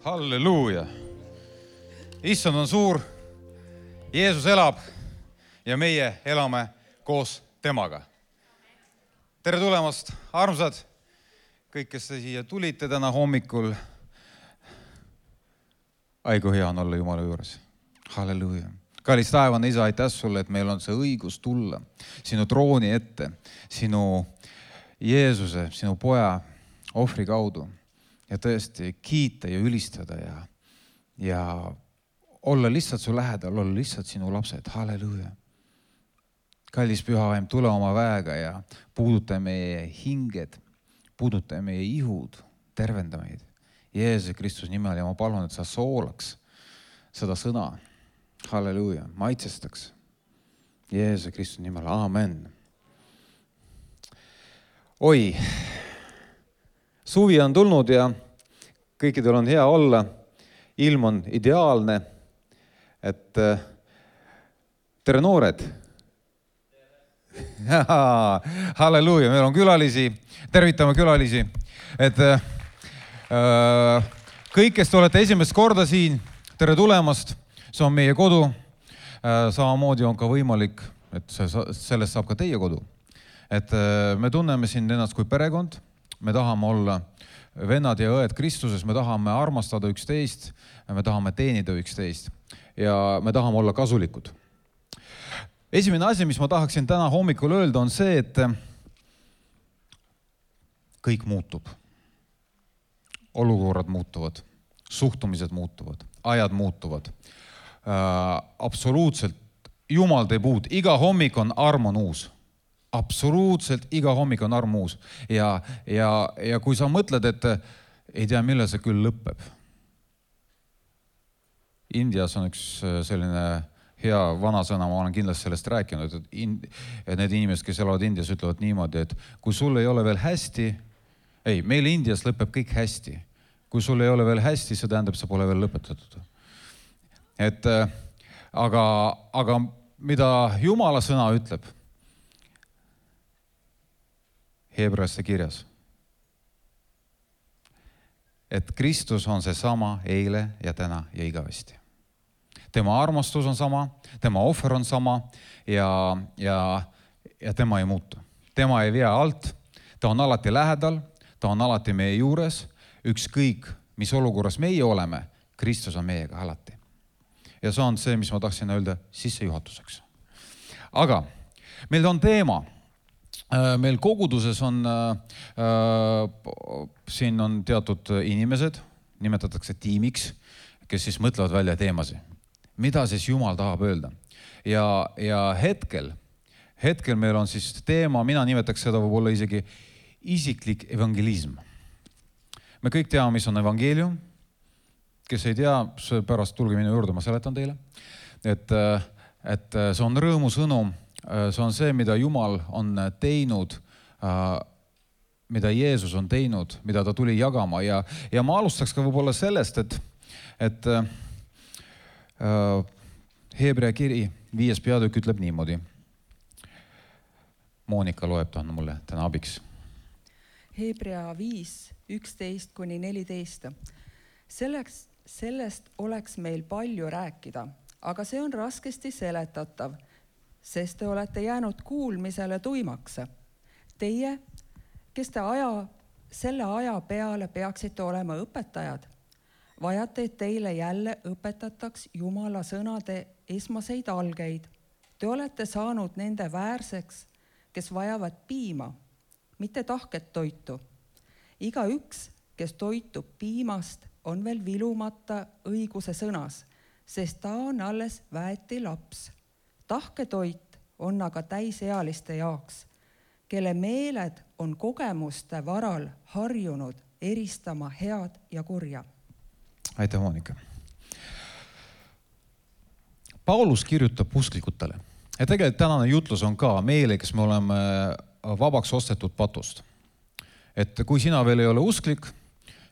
Halleluuja. Issand on suur, Jeesus elab ja meie elame koos temaga. Tere tulemast, armsad, kõik, kes te siia tulite täna hommikul. Aigu hea on olla Jumala juures. Halleluuja. Kallis taevane Isa, aitäh sulle, et meil on see õigus tulla sinu trooni ette, sinu Jeesuse, sinu poja ohvri kaudu ja tõesti kiita ja ülistada ja olla lihtsalt su lähedal, olla lihtsalt sinu lapsed. Halleluuja. Kallis pühavaim, tule oma väega ja puuduta meie hinged, puuduta meie ihud, tervenda meid. Jeesuse Kristus nimel ja ma palun, et sa soolaks seda sõna. Halleluuja, maitsestaks. Jeesuse Kristus nimel, aamen. Oi, suvi on tulnud ja kõikidel on hea olla. Ilm on ideaalne. Et tere noored. Halleluuja, meil on külalisi. Tervitame külalisi. Et kõik, kes te olete esimest korda siin, tere tulemast. See on meie kodu. Samamoodi on ka võimalik, et sellest saab ka teie kodu. Et me tunneme siin ennast kui perekond. Me tahame olla vennad ja õed Kristuses. Me tahame armastada üksteist. Me tahame teenida üksteist. Ja me tahame olla kasulikud. Esimene asi, mis ma tahaksin täna hommikul öelda, on see, et kõik muutub. Olukorrad muutuvad. Suhtumised muutuvad. Ajad muutuvad. Absoluutselt Jumal teeb uut. Iga hommik on arm on uus. Absoluutselt iga hommik on arm uus. Ja kui sa mõtled, et ei tea, millal see küll lõpeb. Indias on üks selline hea vanasõna, ma olen kindlasti sellest rääkinud, et need inimesed, kes elavad Indias, ütlevad niimoodi, et kui sul ei ole veel hästi, meil Indias lõpeb kõik hästi. Kui sul ei ole veel hästi, see tähendab, see pole veel lõpetatud. Aga mida Jumala sõna ütleb, Hebraesse kirjas, et Kristus on see sama eile ja täna ja igavesti. Tema armastus on sama, tema ohver on sama ja tema ei muutu. Tema ei vea alt, ta on alati lähedal, ta on alati meie juures, ükskõik, mis olukorras meie oleme, Kristus on meiega alati. Ja see on see, mis ma tahtsin öelda sissejuhatuseks. Aga meil on teema. Meil koguduses on, siin on teatud inimesed, nimetatakse tiimiks, kes siis mõtlevad välja teemasi. Mida siis Jumal tahab öelda? Ja hetkel meil on siis teema, mina nimetaks seda võib-olla isegi isiklik evangelism. Me kõik teame, mis on evangeelium. Kes ei tea, pärast tulge minu juurde, ma seletan teile. Et see on rõõmusõnum. See on see, mida Jumal on teinud, mida Jeesus on teinud, mida ta tuli jagama. Ja ma alustaks ka võib-olla sellest, et Hebrea kiri 5. peatükk ütleb niimoodi. Moonika loeb ta on mulle täna abiks. Hebrea 5, 11-14. Sellest oleks meil palju rääkida, aga see on raskesti seletatav, sest te olete jäänud kuulmisele tuimaks. Teie, kes te selle aja peale peaksite olema õpetajad, vajate, et teile jälle õpetataks Jumala sõnade esmaseid algeid. Te olete saanud nende väärseks, kes vajavad piima, mitte tahket toitu. Iga üks, kes toitub piimast, on veel vilumata õiguse sõnas, sest ta on alles väeti laps. Tahketoit on aga täisealiste jaoks, kelle meeled on kogemuste varal harjunud eristama head ja kurja. Aitäh, Moonika. Paulus kirjutab usklikutele. Ja tegelikult tänane jutlus on ka meile, kes me oleme vabaks ostetud patust. Et kui sina veel ei ole usklik,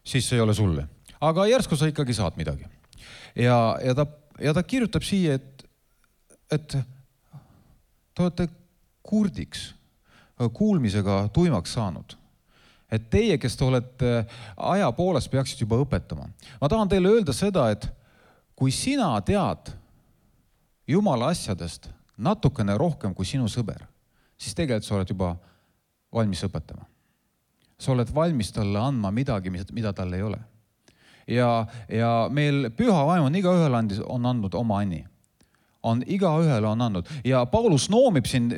siis see ei ole sulle. Aga järsku sa ikkagi saad midagi. Ja ta kirjutab siia, et te olete kurdiks, kuulmisega tuimaks saanud. et teie, kes te olete aja poolest, peaksid juba õpetama. Ma tahan teile öelda seda, et kui sina tead Jumala asjadest natukene rohkem kui sinu sõber, siis tegelikult sa oled juba valmis õpetama. Sa oled valmis talle andma midagi, mida tal ei ole. Ja meil püha vaim on igaühel on andnud oma anni. Igaühele on andnud. Ja Paulus noomib siin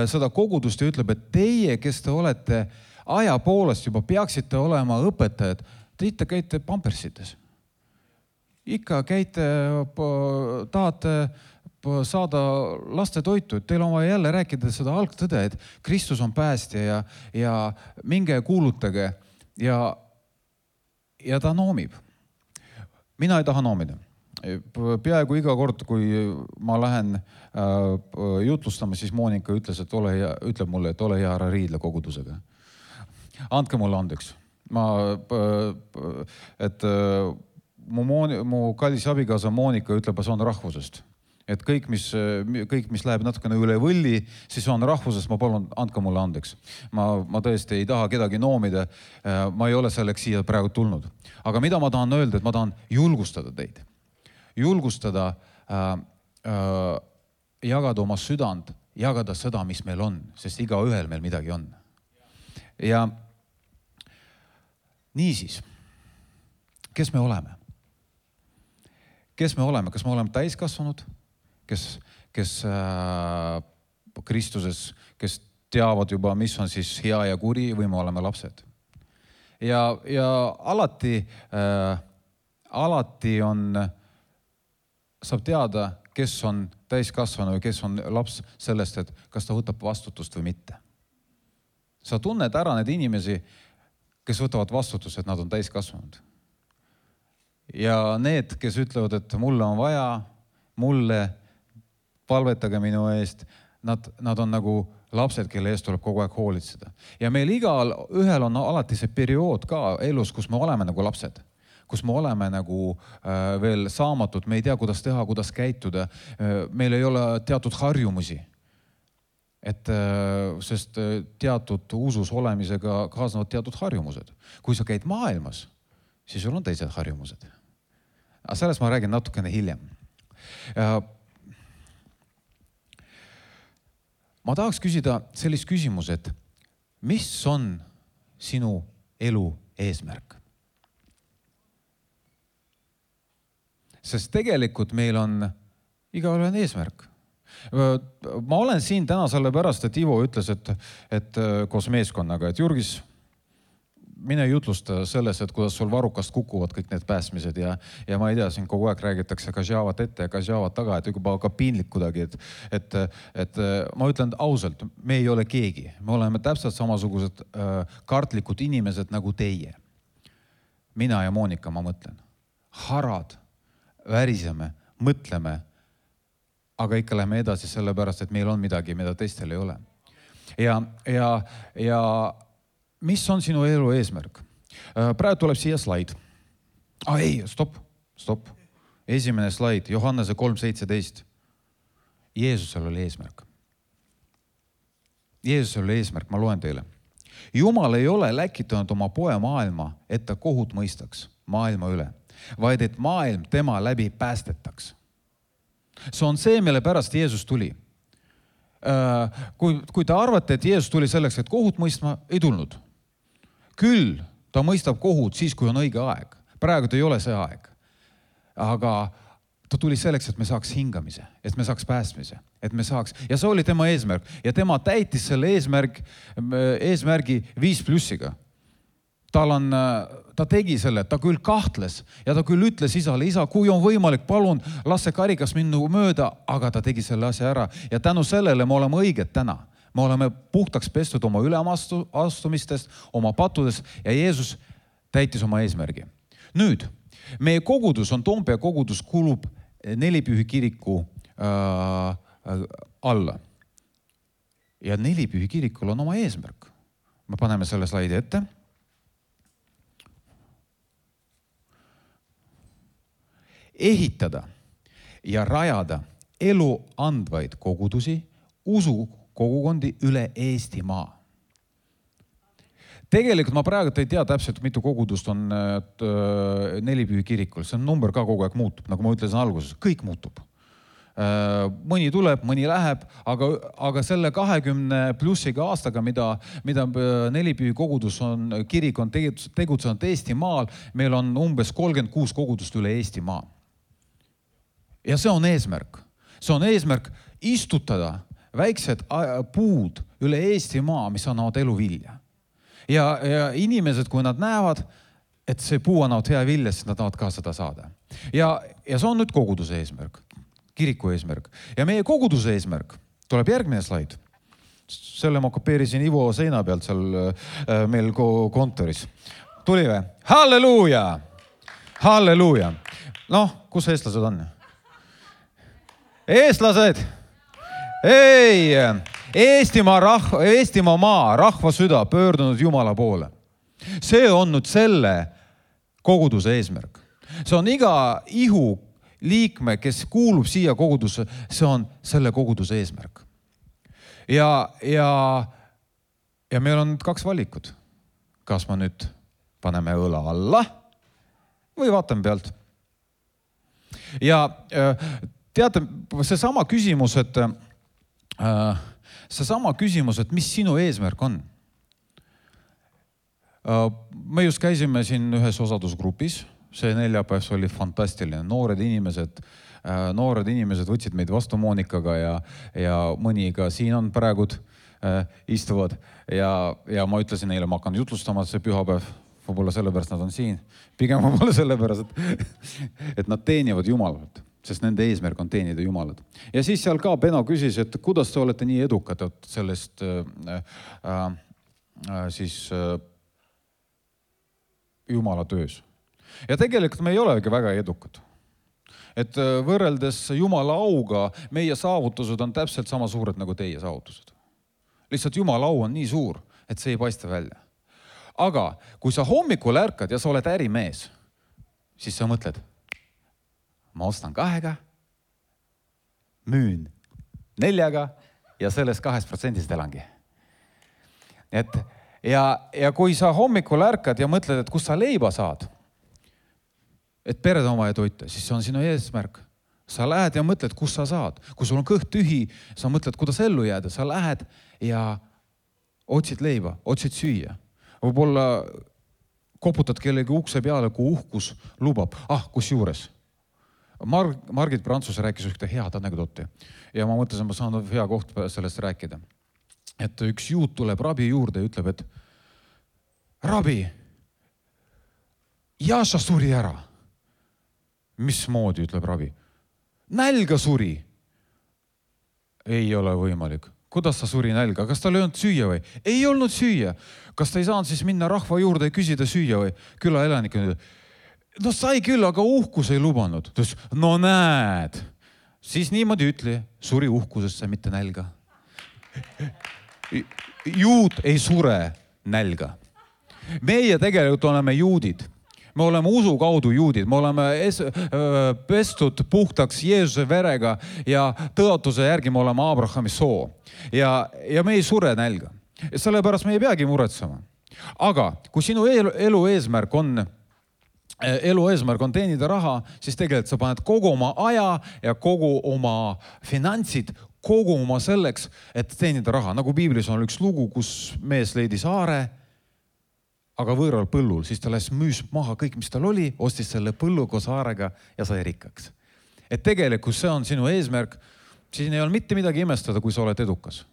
seda kogudust ja ütleb, et teie, kes te olete aja poolest juba peaksite olema õpetajad, te ikka käite pampersites. Ikka käite, tahate saada laste toitu, et teil on vaja jälle rääkida seda algtõde, et Kristus on päästja ja minge kuulutage ja ta noomib. Mina ei taha noomida. Peaaegu iga kord, kui ma lähen jutlustama, siis Moonika ütleb mulle, et ole hea ära riidle kogudusega. Andke mulle andeks. Mu kallis abikaasa Moonika ütleb, et see on rahvusest. Et kõik, mis läheb natukene üle võlli, siis on rahvusest, ma palun, andke mulle andeks. Ma tõesti ei taha kedagi noomida, ma ei ole selleks siia praegu tulnud. Aga mida ma tahan öelda, et ma tahan julgustada teid. Julgustada, jagada oma südant, jagada seda, mis meil on, sest igaühel meil midagi on. Ja niisiis, kes me oleme? Kes me oleme? Kas me oleme täiskasvanud? Kes Kristuses, kes teavad juba, mis on siis hea ja kuri või me oleme lapsed. Ja alati saab teada, kes on täiskasvanu ja kes on laps sellest, et kas ta võtab vastutust või mitte. Sa tunned ära need inimesi, kes võtavad vastutust, et nad on täiskasvanud. Ja need, kes ütlevad, et mulle on vaja, mulle palvetage minu eest, nad on nagu lapsed, kelle eest tuleb kogu aeg hoolitseda. Ja meil igal ühel on alati see periood ka elus, kus me oleme nagu lapsed, kus me oleme nagu veel saamatud, me ei tea, kuidas teha, kuidas käituda, meil ei ole teatud harjumusi. Sest teatud usus olemisega kaasnevad teatud harjumused. Kui sa käid maailmas, siis sul on teised harjumused. Aga sellest ma räägin natukene hiljem. Ma tahaks küsida sellist küsimus, et mis on sinu elu eesmärk? Sest tegelikult meil on igaühel on eesmärk. Ma olen siin täna sellepärast, et Ivo ütles, et koos meeskonnaga, et Jurgis, mine jutlusta selles, et kuidas sul varukast kukuvad kõik need pääsmised ja ma ei tea, siin kogu aeg räägitakse Kažavat ette ja Kažavat taga, et juba ka piinlik kuidagi, et ma ütlen ausalt, me ei ole keegi. Me oleme täpselt samasugused kartlikud inimesed nagu teie. Mina ja Moonika, ma mõtlen. Harad, väriseme, mõtleme, aga ikka lähme edasi sellepärast, et meil on midagi, mida teistel ei ole. Ja mis on sinu elu eesmärk? Praegu tuleb siia slaid. Stop. Esimene slaid, Johannese 3:17. Jeesusel oli eesmärk. Jeesusel oli eesmärk, ma loen teile. Jumal ei ole läkitanud oma poe maailma, et ta kohut mõistaks maailma üle, vaid et maailm tema läbi päästetaks. See on see, mille pärast Jeesus tuli. Kui te arvate, et Jeesus tuli selleks, et kohut mõistma, ei tulnud. Küll ta mõistab kohut siis, kui on õige aeg. Praegu ta ei ole see aeg. Aga ta tuli selleks, et me saaks hingamise, et me saaks päästmise, et me saaks. Ja see oli tema eesmärk. Ja tema täitis selle eesmärgi 5+. Ta tegi selle, ta küll kahtles ja ta küll ütles isale, isa, kui on võimalik, palun, las see karikas minnu mööda, aga ta tegi selle asja ära. Ja tänu sellele me oleme õiged täna. Me oleme puhtaks pestud oma üleastumistest, oma pattudest ja Jeesus täitis oma eesmärgi. Nüüd, meie kogudus on Toompea kogudus, kulub Nelipühi kiriku alla. Ja Nelipühi kirikul on oma eesmärk. Me paneme selle slaidi ette. Ehitada ja rajada elu andvaid kogudusi, usu kogukondi üle Eestimaa. Tegelikult ma praegu ei tea täpselt, mitu kogudust on Nelipühi kirikul. See on number ka kogu aeg muutub, nagu ma ütlesin alguses, kõik muutub. Mõni tuleb, mõni läheb, aga selle 20 plussiga aastaga, mida Nelipühi kogudus on, kirik on tegutsenud Eestimaal, meil on umbes 36 kogudust üle Eestimaa. Ja see on eesmärk. See on eesmärk istutada väiksed puud üle Eestimaa, mis annavad eluvilja. Ja inimesed, kui nad näevad, et see puu annavad hea vilja, siis nad tahavad ka seda saada. Ja see on nüüd koguduse eesmärk. Kiriku eesmärk. Ja meie koguduse eesmärk tuleb järgmine slaid. Selle ma kopeerisin Ivo seina pealt seal meil kontoris. Tuli või? Halleluuja! Halleluuja! Noh, kus eestlased on? Eestlased! Ei! Eestimaa maa, rahva süda pöördunud Jumala poole. See on nüüd selle koguduse eesmärk. See on iga ihu liikme, kes kuulub siia kogudusse, see on selle koguduse eesmärk. Ja meil on 2 valikut. Kas ma nüüd paneme õla alla või vaatame pealt. Ja teate, seesama küsimus, et mis sinu eesmärk on. Me just käisime siin ühes osadusgrupis. See neljapäev oli fantastiline. Noored inimesed võtsid meid vastu Monikaga ja mõni ka siin on praegud istuvad. Ja ma ütlesin neile, ma hakkan jutlustama see pühapäev. Võib-olla sellepärast nad on siin. Pigem võib-olla sellepärast, et nad teenivad Jumalat, sest nende eesmärk on teenida Jumalat. Ja siis seal ka Beno küsis, et kuidas te olete nii edukad sellest Jumala töös. Ja tegelikult me ei olegi väga edukad. Et võrreldes Jumala auga, meie saavutused on täpselt sama suured nagu teie saavutused. Lihtsalt Jumala au on nii suur, et see ei paista välja. Aga kui sa hommikul ärkad ja sa oled ärimees, siis sa mõtled, ma ostan 2, müün 4 ja sellest 2% elangi. Ja kui sa hommikul ärkad ja mõtled, et kus sa leiba saad, et pered oma ja toita, siis see on sinu eesmärk. Sa lähed ja mõtled, kus sa saad. Kui sul on kõht tühi, sa mõtled, kuidas ellu jääda. Sa lähed ja otsid leiba, otsid süüa. Võib-olla koputad kellegi ukse peale, kui uhkus lubab. Kus juures? Margit Prantsus rääkis ühte head anekdooti. Ja ma mõtlesin, ma saan hea koht sellest rääkida. Et üks juut tuleb rabi juurde ja ütleb, et rabi, Jaša suri ära. Mismoodi, ütleb rabi? Nälga suri. Ei ole võimalik. Kuidas sa suri nälga? Kas tal ei olnud süüa või? Ei olnud süüa. Kas ta ei saanud siis minna rahva juurde ja küsida süüa või? Küla elanik on, no sai küll, aga uhkus ei lubanud. No näed. Siis niimoodi ütli, suri uhkusesse, mitte nälga. Juud ei sure nälga. Meie tegelikult oleme juudid. Me oleme usu kaudu juudid, me oleme pestud puhtaks Jeesuse verega ja tõotuse järgi me oleme Abrahami soo. Ja me ei sure nälga. Sellepärast me ei peagi muretsema. Aga kui sinu elu eesmärk on teenida raha, siis tegelikult sa paned kogu oma aja ja kogu oma finantsid kogu oma selleks, et teenida raha. Nagu Piiblis on üks lugu, kus mees leidi saare, aga võõral põllul, siis ta müüs maha kõik, mis tal oli, ostis selle põllu koos saarega ja sai rikkaks. Et tegelikult see on sinu eesmärk, siis ei ole mitte midagi imestada, kui sa oled edukas.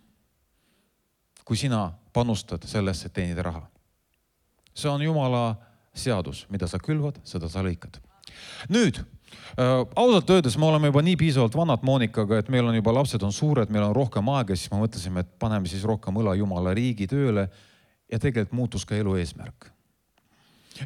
Kui sina panustad sellesse, et teenida raha. See on Jumala seadus, mida sa külvad, seda sa lõikad. Nüüd, ausalt öeldes me oleme juba nii piisavalt vanad Monikaga, et meil on juba lapsed on suured, meil on rohkem aega, siis me mõtlesime, et paneme siis rohkem õla Jumala riigi tööle ja tegelikult muutus ka elu eesmärk.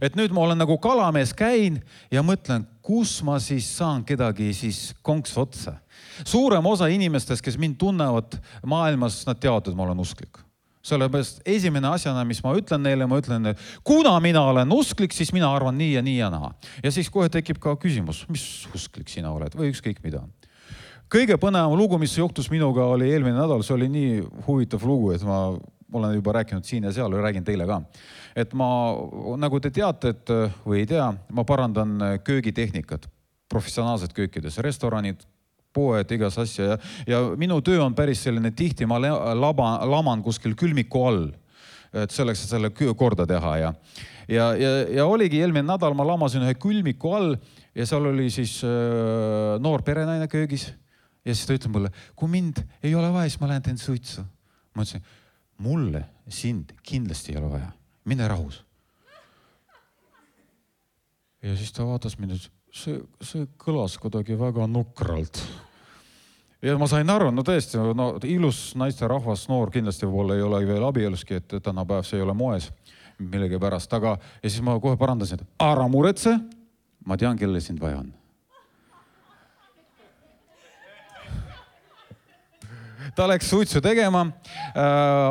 Et nüüd ma olen nagu kalamees käin ja mõtlen, kus ma siis saan kedagi siis konks otsa. Suurem osa inimestest, kes mind tunnevad maailmas, nad teavad, et ma olen usklik. Sellepärast esimene asjana, mis ma ütlen neile, ma ütlen, et kuna mina olen usklik, siis mina arvan nii ja nii ja naa. Ja siis kohe tekib ka küsimus, mis usklik sina oled või ükskõik mida. Kõige põnevam lugu, mis juhtus minuga, oli eelmine nädal, see oli nii huvitav lugu, et ma olen juba rääkinud siin ja seal ja räägin teile ka. Et ma, nagu te teate, et või ei tea, ma parandan köögitehnikat, professionaalsed köökides, restoranid, poed, igas asja ja minu töö on päris selline tihti, ma laman kuskil külmiku all, et selleks, et selle korda teha ja oligi eelmine nädal, ma lamasin ühe külmiku all ja seal oli siis noor perenaine köögis ja siis ta ütleb mulle, kui mind ei ole vaja, siis ma lähen teen suitsu. Ma ütlesin, mulle sind kindlasti ei ole vaja, mine rahus. Ja siis ta vaatas mind, see kõlas kuidagi väga nukralt. Ja ma sain aru, no tõesti, ilus naiste rahvas, noor kindlasti võib-olla ei ole veel abieluski, et tänapäev see ei ole moes millegi pärast. Aga ja siis ma kohe parandasin, et ära muretse, ma tean, kelle sind vaja on. Ta läks suitsu tegema.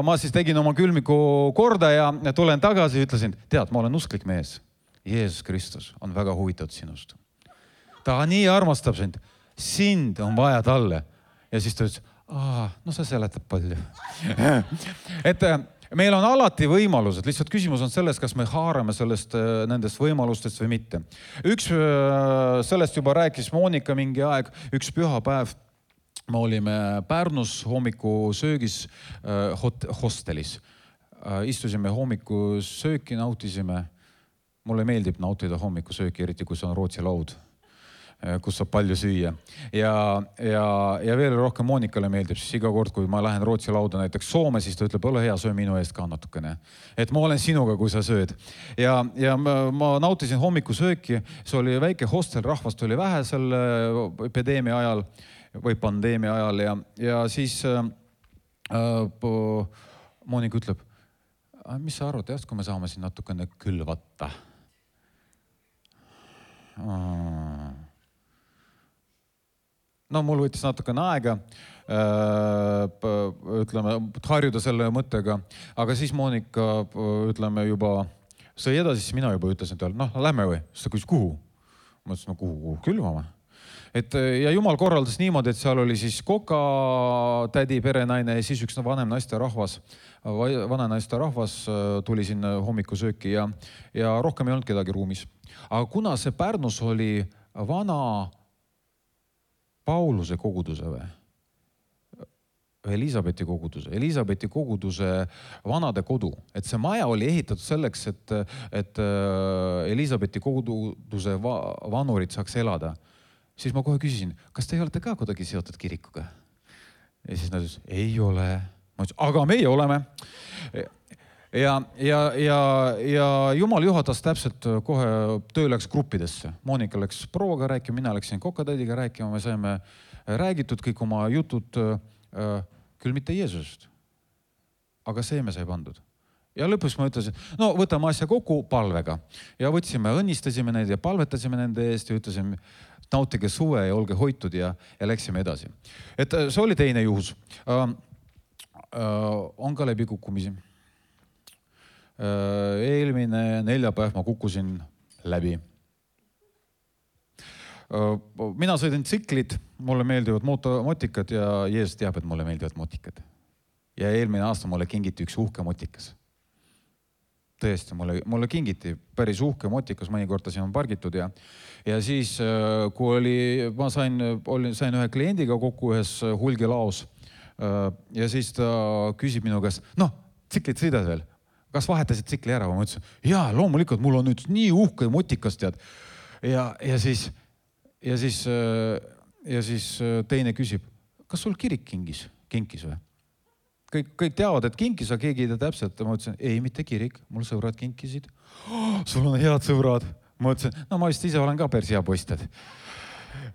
Ma siis tegin oma külmiku korda ja tulen tagasi ja ütlesin, tead, ma olen usklik mees. Jeesus Kristus on väga huvitatud sinust. Ta nii armastab sind on vaja talle. Ja siis ta ütles, no see seletab palju. Et meil on alati võimalused, lihtsalt küsimus on selles, kas me haarame nendest võimalustest või mitte. Üks sellest juba rääkis Monika mingi aeg, üks pühapäev. Me olime Pärnus hommikusöögis hostelis. Istusime hommikusööki, nautisime. Mulle meeldib nautida hommikusööki, eriti kui see on Rootsi laud, kus saab palju süüa. Ja veel rohkem Monikale meeldib, siis iga kord, kui ma lähen Rootsi lauda näiteks Soome, siis ta ütleb, ole hea, söö minu eest ka natukene. Et ma olen sinuga, kui sa sööd. Ja ma nautisin hommikusööki, see oli väike hostel, rahvast oli vähe selle epideemia ajal või pandeemia ajal ja siis Monika ütleb, mis sa arvad, kui me saame siin natukene külvata? No mul võttis natukene aega, ütleme, harjuda selle mõttega, aga siis Monika, ütleme juba, sõi edasi, siis mina juba ütlesin talle, lähme või? Siis ta küsis, kuhu? Ma ütlesin, kuhu külvama? Ja Jumal korraldas niimoodi, et seal oli siis koka, tädi, perenaine ja siis üks vanem naiste rahvas tuli sinna hommikusööki ja rohkem ei olnud kedagi ruumis. Aga kuna see Pärnus oli vana Pauluse koguduse või? Elisabethi koguduse vanade kodu. Et see maja oli ehitatud selleks, et Elisabethi koguduse vanurid saaks elada. Siis ma kohe küsisin, kas te olete ka kuidagi seotud kirikuga? Ja siis nad ütlesid, ei ole. Ma ütlesin, aga meie oleme. Ja Jumal juhatas täpselt kohe töö läks gruppidesse. Monika läks prouaga rääkima, mina läksin kokatädiga rääkima, me saime räägitud kõik oma jutud, küll mitte Jeesusest. Aga see me sai pandud. Ja lõpus ma ütlesin, võtame asja kokku palvega. Ja võtsime, õnnistasime neid ja palvetasime nende eest ja ütlesime, nautige suve ja olge hoitud ja läksime edasi. Et see oli teine juhus. On ka läbi kukkumisi. Eelmine neljapäev ma kukkusin läbi. Mina sõidan tsiklit, mulle meeldivad motikad ja Jeesus teab, et mulle meeldivad motikad. Ja eelmine aasta mulle kingiti üks uhke motikas. Tõesti, mulle kingiti päris uhke motikas, mõnikord ta siin on pargitud ja siis, kui ma sain ühe kliendiga kokku ühes hulgilaos ja siis ta küsib minu käest, tsiklit sõidad veel, kas vahetasid tsikli ära? Ma ütlesin, jaa, loomulikult, mul on nüüd nii uhke motikas, tead. Ja siis teine küsib, kas sul kirik kinkis või? Kõik teavad, et kinkis, aga keegi ei tea täpselt. Ma ütlesin, ei, mitte kirik, mul sõbrad kinkisid. Sul on head sõbrad. Ma ütlesin, ma vist ise olen ka päris hea poistad.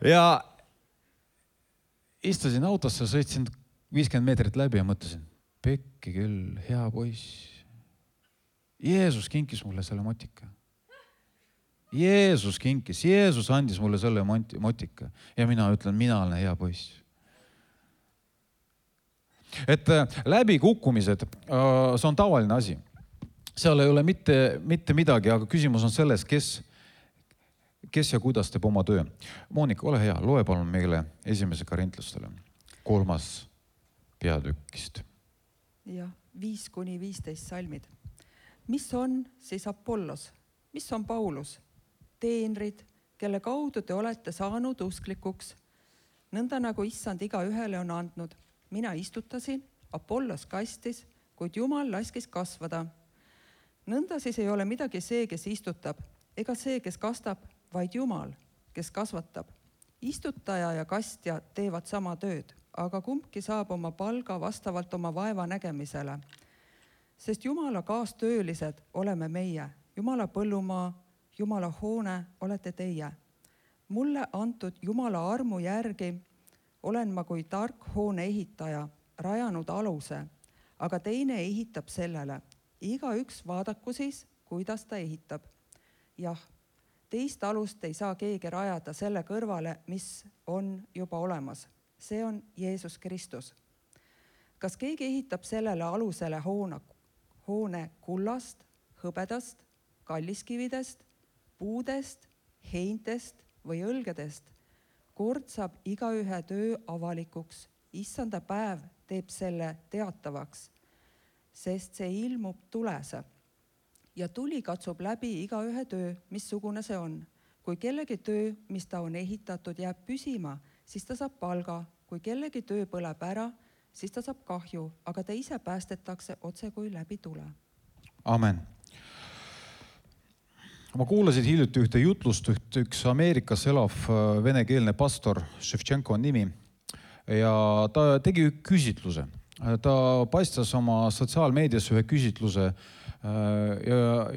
Ja istusin autosse, sõitsin 50 meetrit läbi ja mõtlesin, pekki küll, hea poiss. Jeesus kinkis mulle selle motika. Jeesus andis mulle selle motika. Ja mina ütlen, mina olen hea poiss. Et läbi kukkumised, see on tavaline asi. Seal ei ole mitte midagi, aga küsimus on selles, kes ja kuidas teeb oma töö. Monika, ole hea, loe palun meile 1. Korintlastele 3. peatükist. Jah, 5-15 salmid. Mis on siis Apollos? Mis on Paulus? Teenrid, kelle kaudu te olete saanud usklikuks, nõnda nagu issand igaühele on andnud. Mina istutasin, Apollos kastis, kuid Jumal laskis kasvada. Nõnda siis ei ole midagi see, kes istutab, ega see, kes kastab, vaid Jumal, kes kasvatab. Istutaja ja kastja teevad sama tööd, aga kumbki saab oma palga vastavalt oma vaeva nägemisele. Sest Jumala kaastöölised oleme meie, Jumala põllumaa, Jumala hoone olete teie. Mulle antud Jumala armu järgi olen ma kui tark hoone ehitaja rajanud aluse, aga teine ehitab sellele. Igaüks vaadaku siis, kuidas ta ehitab. Jah, teist alust ei saa keegi rajada selle kõrvale, mis on juba olemas. See on Jeesus Kristus. Kas keegi ehitab sellele alusele hoone kullast, hõbedast, kalliskividest, puudest, heintest või õlgedest? Kord saab igaühe töö avalikuks. Issanda päev teeb selle teatavaks, sest see ilmub tulese. Ja tuli katsub läbi igaühe töö, missugune see on. Kui kellegi töö, mis ta on ehitatud, jääb püsima, siis ta saab palga. Kui kellegi töö põleb ära, siis ta saab kahju, aga ta ise päästetakse otse kui läbi tule. Amen. Ma kuulasin hiljuti ühte jutlust, üks Ameerikas elav venekeelne pastor, Ševtšenko on nimi, ja ta tegi küsitluse. Ta paistas oma sotsiaalmeedias ühe küsitluse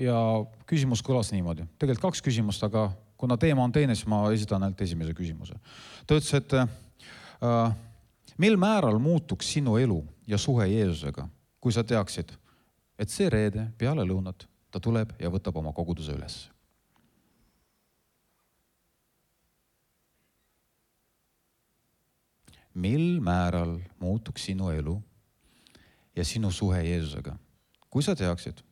ja küsimus kõlas niimoodi. Tegelikult 2 küsimust, aga kuna teema on teine, siis ma esitan ainult esimese küsimuse. Ta ütles, et mil määral muutuks sinu elu ja suhe Jeesusega, kui sa teaksid, et see reede peale lõunat ta tuleb ja võtab oma koguduse üles. Mil määral muutuks sinu elu ja sinu suhe Jeesusega, kui sa teaksid,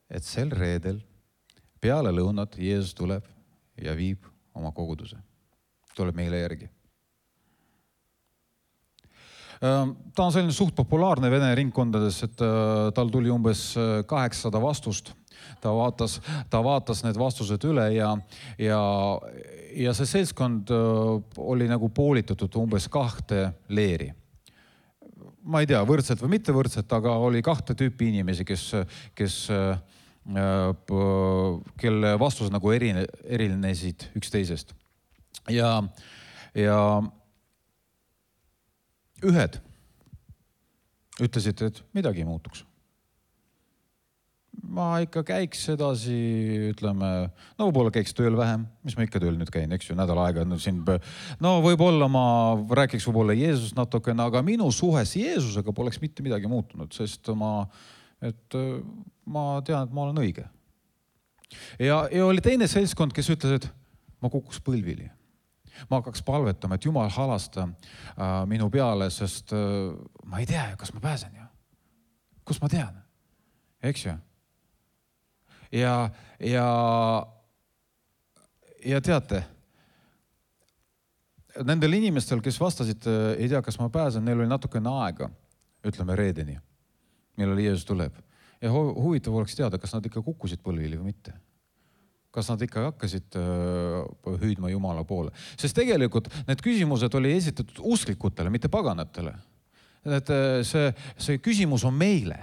et sel reedel peale lõunat Jeesus tuleb ja viib oma koguduse. Tuleb meile järgi. Ta on selline suht populaarne vene ringkondades, et tal tuli umbes 800 vastust. Ta vaatas need vastused üle ja see seltskond oli nagu poolitatud umbes 2 leeri. Ma ei tea, võrdselt või mitte võrdselt, aga oli 2 tüüpi inimesi, kelle vastused nagu erinesid üksteisest. Ja ühed ütlesid, et midagi ei muutuks. Ma ikka käiks edasi, ütleme, no võib-olla käiks tööl vähem, mis ma ikka tööl nüüd käin, eks ju, nädal aega. No võib-olla ma rääkiks võib-olla Jeesus natukene, aga minu suhes Jeesusega poleks mitte midagi muutunud, sest ma tean, et ma olen õige. Ja oli teine seltskond, kes ütles, et ma kukuks põlvili. Ma hakkaks palvetama, et Jumal halasta minu peale, sest ma ei tea, kas ma pääsen ju. Kus ma tean? Eks ju? Ja teate, nendel inimestel, kes vastasid, ei tea, kas ma pääsen, neil oli natukene aega, ütleme reedeni, millal Jeesus tuleb. Ja huvitav oleks teada, kas nad ikka kukkusid põlvili või mitte. Kas nad ikka hakkasid hüüdma Jumala poole. Sest tegelikult need küsimused oli esitatud usklikutele, mitte paganatele. See küsimus on meile.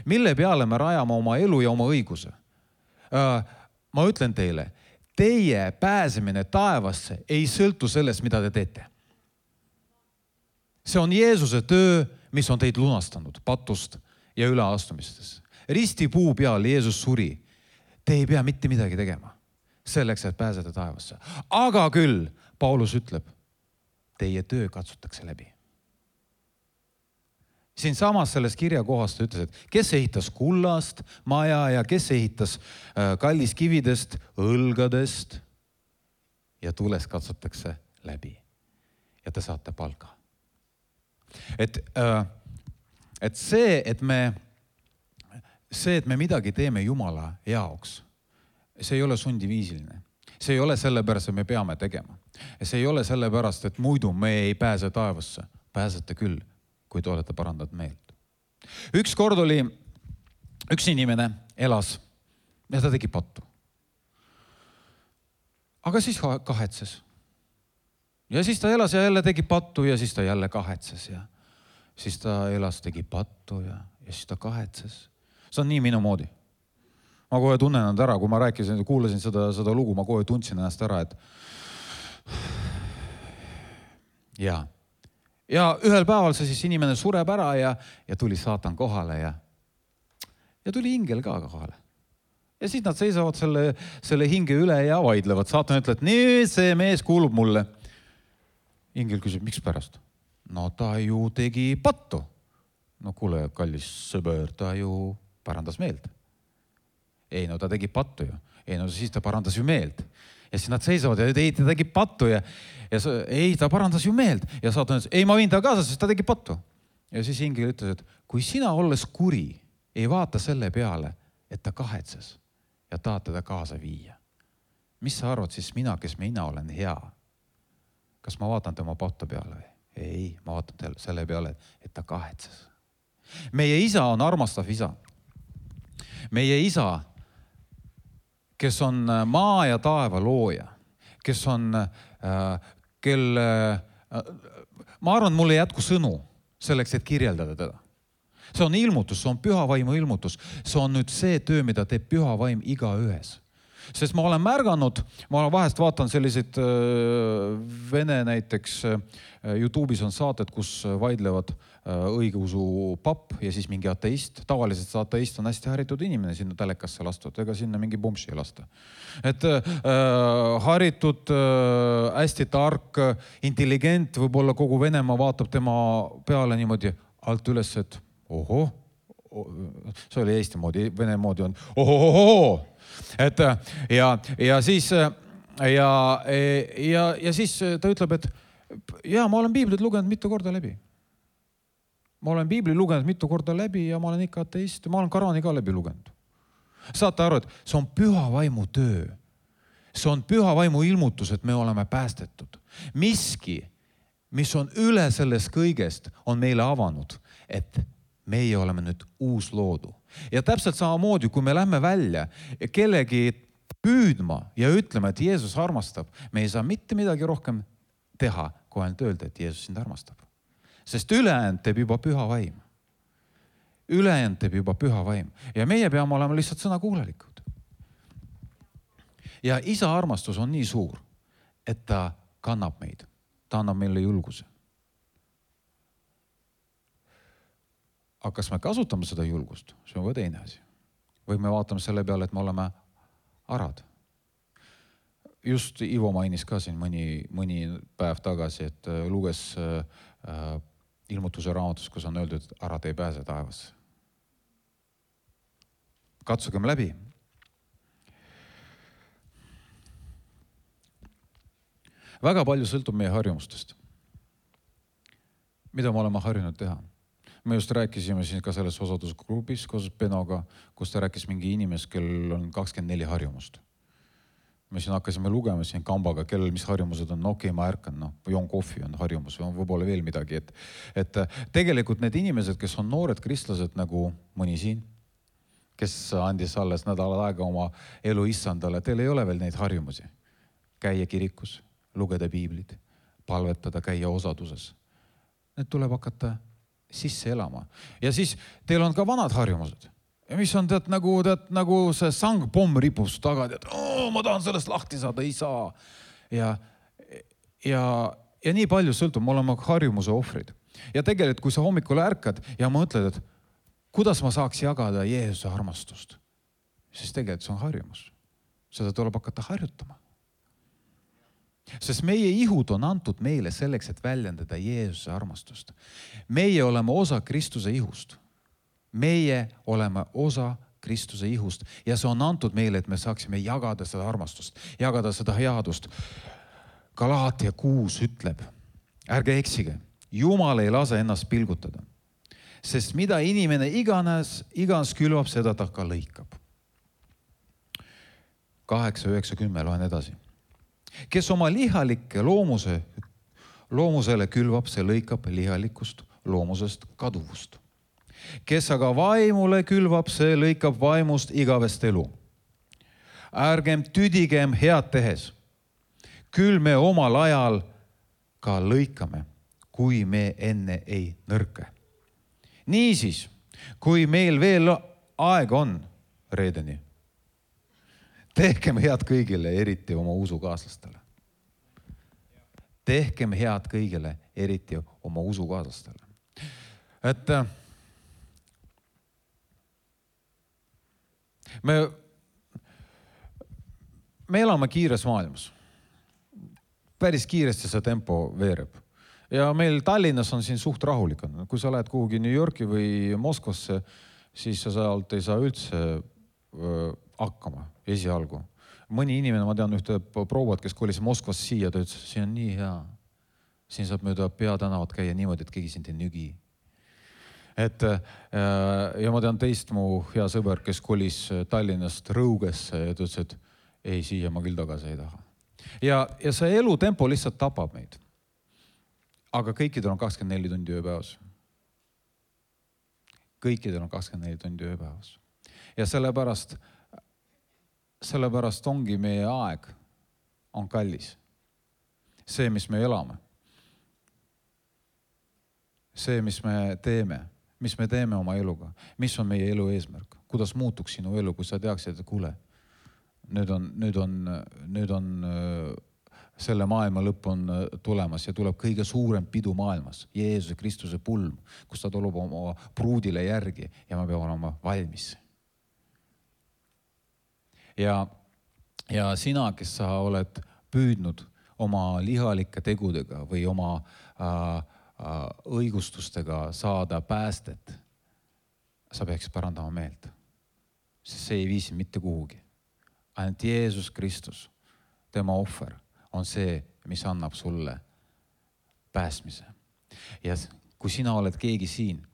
Mille peale me rajame oma elu ja oma õiguse? Ma ütlen teile, teie pääsemine taevasse ei sõltu sellest, mida te teete. See on Jeesuse töö, mis on teid lunastanud patust ja üleastumistest. Ristipuu peal Jeesus suri. Te ei pea mitte midagi tegema selleks, et pääseda taevasse. Aga küll, Paulus ütleb, teie töö katsutakse läbi. Siin samas selles kirja kohast ütles, et kes ehitas kullast maja ja kes ehitas kalliskividest, õlgadest ja tules katsutakse läbi. Ja te saate palga. Et see, et me midagi teeme Jumala jaoks, see ei ole sundiviisiline. See ei ole sellepärast, et me peame tegema. See ei ole sellepärast, et muidu me ei pääse taevasse. Pääsete küll, kui te olete parandatud meelt. Ükskord oli üks inimene elas ja ta tegi pattu. Aga siis kahetses. Ja siis ta elas ja jälle tegi pattu ja siis ta jälle kahetses ja siis ta elas, tegi pattu ja siis ta kahetses. See on nii minu moodi. Ma kohe tunnen ennast ära, kui ma rääkisin, kuulasin seda lugu, ma kohe tundsin ennast ära, et ja ühel päeval see siis inimene sureb ära ja tuli saatan kohale ja tuli ingel ka kohale. Ja siis nad seisavad selle hinge üle ja vaidlevad. Saatan ütleb, et nii see mees kuulub mulle. Ingel küsib, miks pärast? No ta ju tegi pattu. No kuule, kallis sõber, ta ju parandas meelt. Ei, no ta tegi pattu ju. Ei, no siis ta parandas ju meelt. Ja siis nad seisavad ja ei, ta tegi pattu ja ei, ta parandas ju meelt. Ja saatan ütles, ei, ma viin ta kaasa, sest ta tegi pattu. Ja siis ingel ütles, et kui sina olles kuri, ei vaata selle peale, et ta kahetses ja tahad teda kaasa viia. Mis sa arvad siis mina, kes mina olen hea? Kas ma vaatan tema pattu peale? Ei, ma vaatan selle peale, et ta kahetses. Meie isa on armastav isa. Meie isa, kes on maa ja taeva looja, kes on, ma arvan, mul ei jätku sõnu selleks, et kirjeldada teda. See on ilmutus, see on püha vaimu ilmutus. See on nüüd see töö, mida teeb püha vaim igaühes. Sest ma olen märganud, ma vahest vaatan selliseid Vene näiteks, YouTube'is on saated, kus vaidlevad õigeusu papp ja siis mingi ateist. Tavaliselt see ateist on hästi haritud inimene sinna telekasse lastud, ega sinna mingi pumpsi ei lasta. Et haritud, hästi tark, intelligent, võib-olla kogu Venemaa vaatab tema peale niimoodi alt üles, et ohoh, see oli Eesti moodi, Vene moodi on ohohohoho. Et ja siis ta ütleb, et ma olen Piiblit lugenud mitu korda läbi. Ma olen Piibli lugenud mitu korda läbi ja ma olen ikka ateist. Ma olen Korani ka läbi lugenud. Saate aru, et see on püha vaimu töö. See on püha vaimu ilmutus, et me oleme päästetud. Miski, mis on üle sellest kõigest, on meile avanud, et meie oleme nüüd uus loodu. Ja täpselt samamoodi, kui me lähme välja kellegi püüdma ja ütleme, et Jeesus armastab, me ei saa mitte midagi rohkem teha, kui ainult öelda, et Jeesus sind armastab. Sest ülejäänud teeb juba püha vaim. Ülejäänud teeb juba püha vaim. Ja meie peame olema lihtsalt sõnakuulelikud. Ja isa armastus on nii suur, et ta kannab meid. Ta annab meile julguse. Aga kas me kasutame seda julgust? See on või teine asi. Või me vaatame selle peale, et me oleme arad. Just Ivo mainis ka siin mõni päev tagasi, et luges ilmutuse raamatus, kus on öeldud, et arad ei pääse taevasse. Katsugem läbi. Väga palju sõltub meie harjumustest. Mida me oleme harjunud teha? Me just rääkisime siin ka selles osadusgrupis koos Benoga, kus ta rääkis mingi inimest, kellel on 24 harjumust. Me siin hakkasime lugema siin kambaga, kellel mis harjumused on. Okei, ma ärkan, joon kohvi on harjumus, on võib-olla veel midagi. Et tegelikult need inimesed, kes on noored kristlased nagu mõni siin, kes andis alles nädalad aega oma elu issandale, teil ei ole veel neid harjumusi. Käia kirikus, lugeda piiblit, palvetada, käia osaduses. Need tuleb hakata sisse elama. Ja siis teil on ka vanad harjumused. Ja mis on nagu see sangpomm ripus taga, et ma tahan sellest lahti saada, ei saa. Ja nii palju sõltub, me oleme harjumuse ohvrid. Ja tegelikult, kui sa hommikul ärkad ja mõtled, et kuidas ma saaks jagada Jeesuse armastust, siis tegelikult see on harjumus. Seda tuleb hakata harjutama. Sest meie ihud on antud meile selleks, et väljendada Jeesuse armastust. Meie oleme osa Kristuse ihust. Meie oleme osa Kristuse ihust ja see on antud meile, et me saaksime jagada seda armastust, jagada seda headust. Galaatia 6 ütleb, ärge eksige, Jumal ei lase ennast pilgutada, sest mida inimene iganes külvab, seda ta ka lõikab. 8, 9, 10 loen edasi. Kes oma lihalikke loomusele külvab, see lõikab lihalikust loomusest kaduvust. Kes aga vaimule külvab, see lõikab vaimust igavest elu. Ärgem tüdigem head tehes. Küll me omal ajal ka lõikame, kui me enne ei nõrke. Niisiis, kui meil veel aeg on reedeni, tehkem head kõigile, eriti oma usukaaslastele. Tehkem head kõigile, eriti oma usukaaslastele. Et me elame kiires maailmas. Päris kiiresti see tempo veereb. Ja meil Tallinnas on siin suht rahulik. Kui sa lähed kuhugi New Yorki või Moskvasse, siis sa sealt ei saa üldse hakkama esialgu. Mõni inimene, ma tean ühte prouvat, kes kolis Moskvas siia, ta ütles, siin on nii hea. Siin saab mööda peatänavat käia niimoodi, et keegi sind ei nügi. Ja ma tean teist mu hea sõber, kes kolis Tallinnast Rõugesse ja ta ütles, et ei, siia ma küll tagasi ei taha. Ja see elutempo lihtsalt tapab meid. Aga kõikidel on 24 tundi ööpäevas. Kõikidel on 24 tundi ööpäevas. Ja sellepärast ongi meie aeg on kallis. See, mis me elame. See, mis me teeme oma eluga. Mis on meie elu eesmärk? Kuidas muutuks sinu elu, kui sa teaksid, et kuule, nüüd on selle maailma lõpp on tulemas ja tuleb kõige suurem pidu maailmas. Jeesuse Kristuse pulm, kus ta tuleb oma pruudile järgi ja me peame olema valmis. Ja sina, kes sa oled püüdnud oma lihalike tegudega või oma õigustustega saada päästet, sa peaks parandama meelt. Sest see ei viisi mitte kuhugi. Ainult Jeesus Kristus, tema ohver, on see, mis annab sulle pääsmise. Ja kui sina oled keegi siin,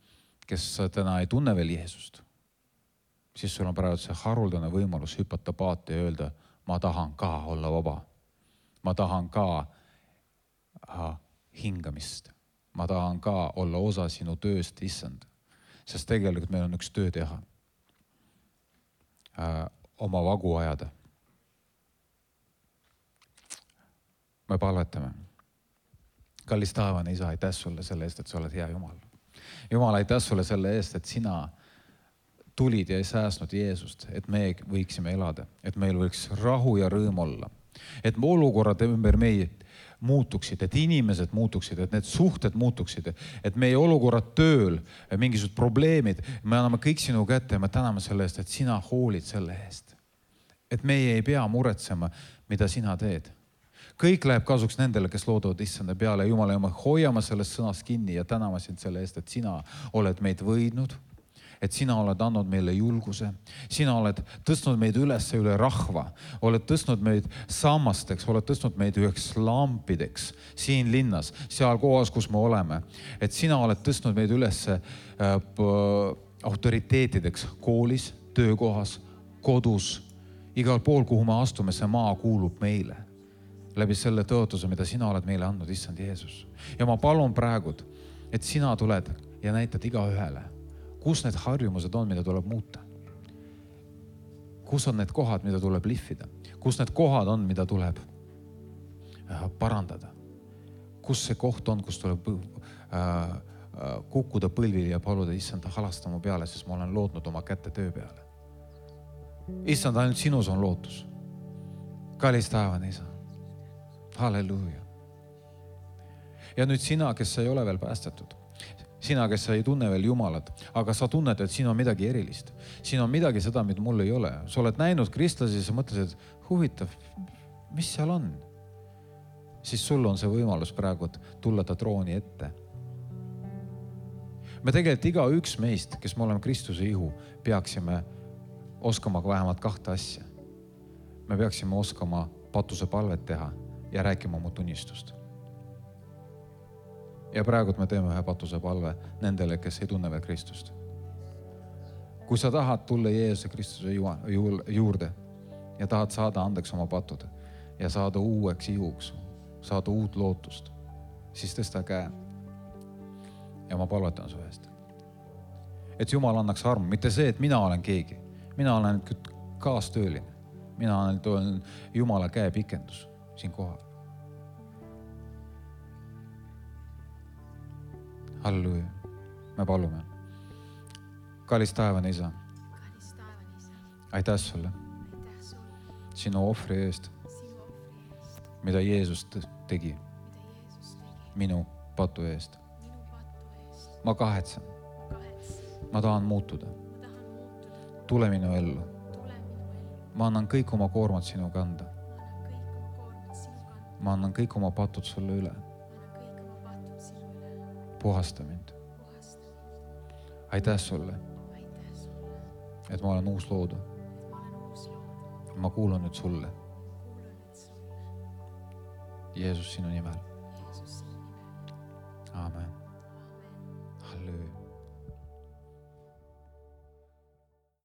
kes täna ei tunne veel Jeesust, siis sul on praegu see haruldane võimalus hüpata paati ja öelda, ma tahan ka olla vaba. Ma tahan ka hingamist. Ma tahan ka olla osa sinu tööst, issand. Sest tegelikult meil on üks töö teha. Oma vagu ajada. Me palvetame. Kallis taevane isa, aitäh sulle selle eest, et sa oled hea Jumal. Jumal, aitäh sulle selle eest, et sina tulid ja ei säästnud Jeesust, et me võiksime elada, et meil võiks rahu ja rõõm olla, et olukorrad ümber meid muutuksid, et inimesed muutuksid, et need suhted muutuksid, et meie olukorrad tööl, mingisugused probleemid, me anname kõik sinu kätte ja me täname selle eest, et sina hoolid selle eest. Et meie ei pea muretsema, mida sina teed. Kõik läheb kasuks nendele, kes loodavad issanda peale. Jumal, ja me hoiame sellest sõnast kinni ja täname sind selle eest, et sina oled meid võidnud, et sina oled andnud meile julguse. Sina oled tõstnud meid üles üle rahva, oled tõstnud meid sammasteks, oled tõstnud meid üheks lampideks siin linnas, seal kohas, kus me oleme. Et sina oled tõstnud meid üles autoriteetideks koolis, töökohas, kodus, igal pool, kuhu me astume, see maa kuulub meile. Läbi selle tõotuse, mida sina oled meile andnud, issand Jeesus. Ja ma palun praegu, et sina tuled ja näitad iga ühele, kus need harjumused on, mida tuleb muuta. Kus on need kohad, mida tuleb lihvida. Kus need kohad on, mida tuleb parandada. Kus see koht on, kus tuleb kukkuda põlvili ja paluda, issand, halasta mu peale, sest ma olen lootnud oma kätte töö peale. Issand, ainult sinus on lootus. Kallis taevane isa. Halleluuja. Ja nüüd sina, kes sa ei ole veel päästetud, sina, kes sa ei tunne veel Jumalat, aga sa tunned, et siin on midagi erilist. Siin on midagi seda, mida mul ei ole. Sa oled näinud kristlasi ja sa mõtlesid, huvitav, mis seal on? Siis sul on see võimalus praegu tulla ta trooni ette. Me tegelikult iga üks meist, kes me oleme Kristuse ihu, peaksime oskama vähemalt 2 asja. Me peaksime oskama patuse palvet teha ja rääkima oma tunnistust. Ja praegu me teeme ühe patuse palve nendele, kes ei tunne veel Kristust. Kui sa tahad tulla Jeesuse Kristuse juurde ja tahad saada andeks oma patud ja saada uueks ihuks, saada uut lootust, siis tõsta käe. Ja ma palvetan su eest. et Jumal annaks armu, mitte see, et mina olen keegi. Mina olen kaastööline. Mina olen Jumala käepikendus siin kohal. Halleluuja. Me palume. Kallis taevane Isa. Aitäh sulle sinu ohvri eest, mida Jeesus tegi minu patu eest. Ma kahetsen. Ma tahan muutuda. Tule minu ellu. Ma annan kõik oma koormad sinu kanda. Ma annan kõik oma patud sulle üle. Puhasta mind. Aitäh sulle, et ma olen uus loodu. Ma kuulun nüüd sulle. Jeesus sinu nimel. Amen.